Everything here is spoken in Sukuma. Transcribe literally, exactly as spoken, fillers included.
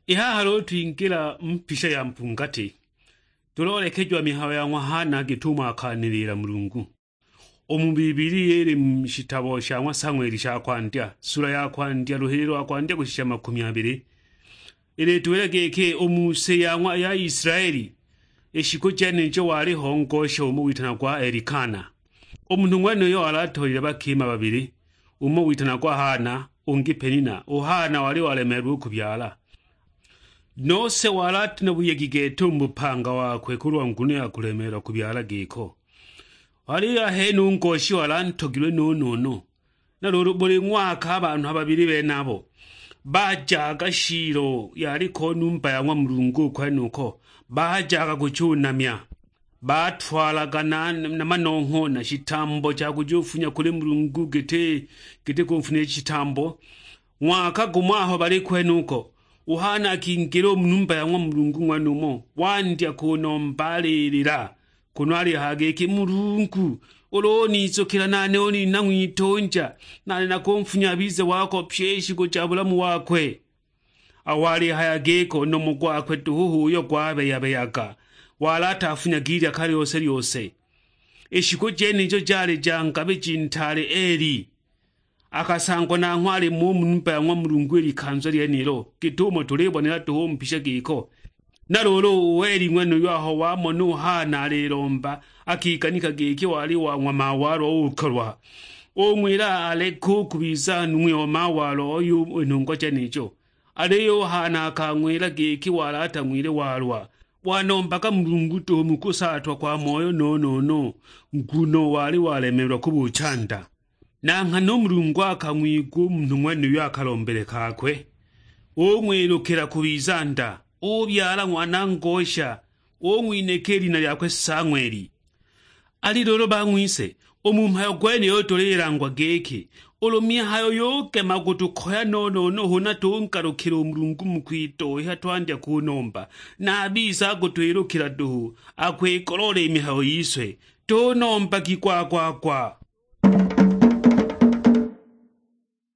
I haha luulu twingila mu mpisha ya mpungati, tuloolekejiwa mihayo ya ng'wa Hana git'umo akanilila Mulungu. U mu Bibilia ili mu shitabo sha ng'wa Sang'weli sha kwandya, sula ya kwandya, luhili lwa kwandya kushisha makumi abili, ilituwila giki, u mu si ya ng'wa ya Israeli, i shiku jenijo waliho ngosha umo witanagwa Elikana. U munhu ng'wenuyo wali atolile bakima babili, umo witanagwa Hana, ungi Penina. U Hana wali walemeelilwe u kubyala. Nose wali ati na buyegi gete u mu bupanga wakwe kulwa nguno ya kulemeelwa kubyala giko. Aliyo ahene u ngoshi wali antogilwe no-no-no. Na luulu buli ng'waka a banhu a babili benabo bajaga Shilo, yaliko numba ya ng'wa Mulungu u kwenuko, bajaga kuchunamya. Batwalaga na, na manongho na shitambo cha kujufunya kuli Mulungu giti, giti kunfunila shitambo. Ng'waka gumo aho bali kwenuko, u Hana akingila u mu numba ya ng'wa Mulungu ng'wenumo, wandya kunomba alilila, kunu alihaya giki, "Mulungu, ulu unizukila nane unina ng'witunja, nane nakunfunya abize wako pye i shiku ja bulamu wakwe." Aho alihaya giko, u nomo gwakwe duhu h'uyo gwabeya-beyaga, wali atafunyaga ilyaka lyose-lyose. I shiku jenijo jali ja ngabiji ntaale Eli. Akasangwa nanghwe ali mo u mu numba ya ng'wa Mulungu i likanza lyenilo, git'umo tulibonela duhu u mu mpisha giko. Na luulu u Eli ng'wenuyo aho wamona u Hana alilomba, akiganika giki wali wa ng'wa mawalwa uukolwa. Ung'wila aleke u kubiza nung'wi o mawalwa oyo i nhungwa jenijo. Aliyo u Hana akang'wila giki wali atang'wile walwa, wanombaga Mulungu duhu mu kusaatwa kwa moyo no-no-no, nguno wali walemeelwa kubucha nda. Na nghana u Mulungu akang'wigwa u munhu ng'wenuyo a kalombele kakwe, ung'wilukila kubiza nda, ubyala ng'wana ngosha, ung'winhika i lina lyakwe Sang'weli. Ali luulu bang'wise, u mu mhayo gwenuyo tulilangwa giki, ulu mihayo yugema kutukoya no-no-no huna tungalukila u Mulungu mu kwitoiha twandya kunomba, na a bise akutwilukila duhu, akwigoloola i mihayo yise, tunombagi gwa-gwa-gwa.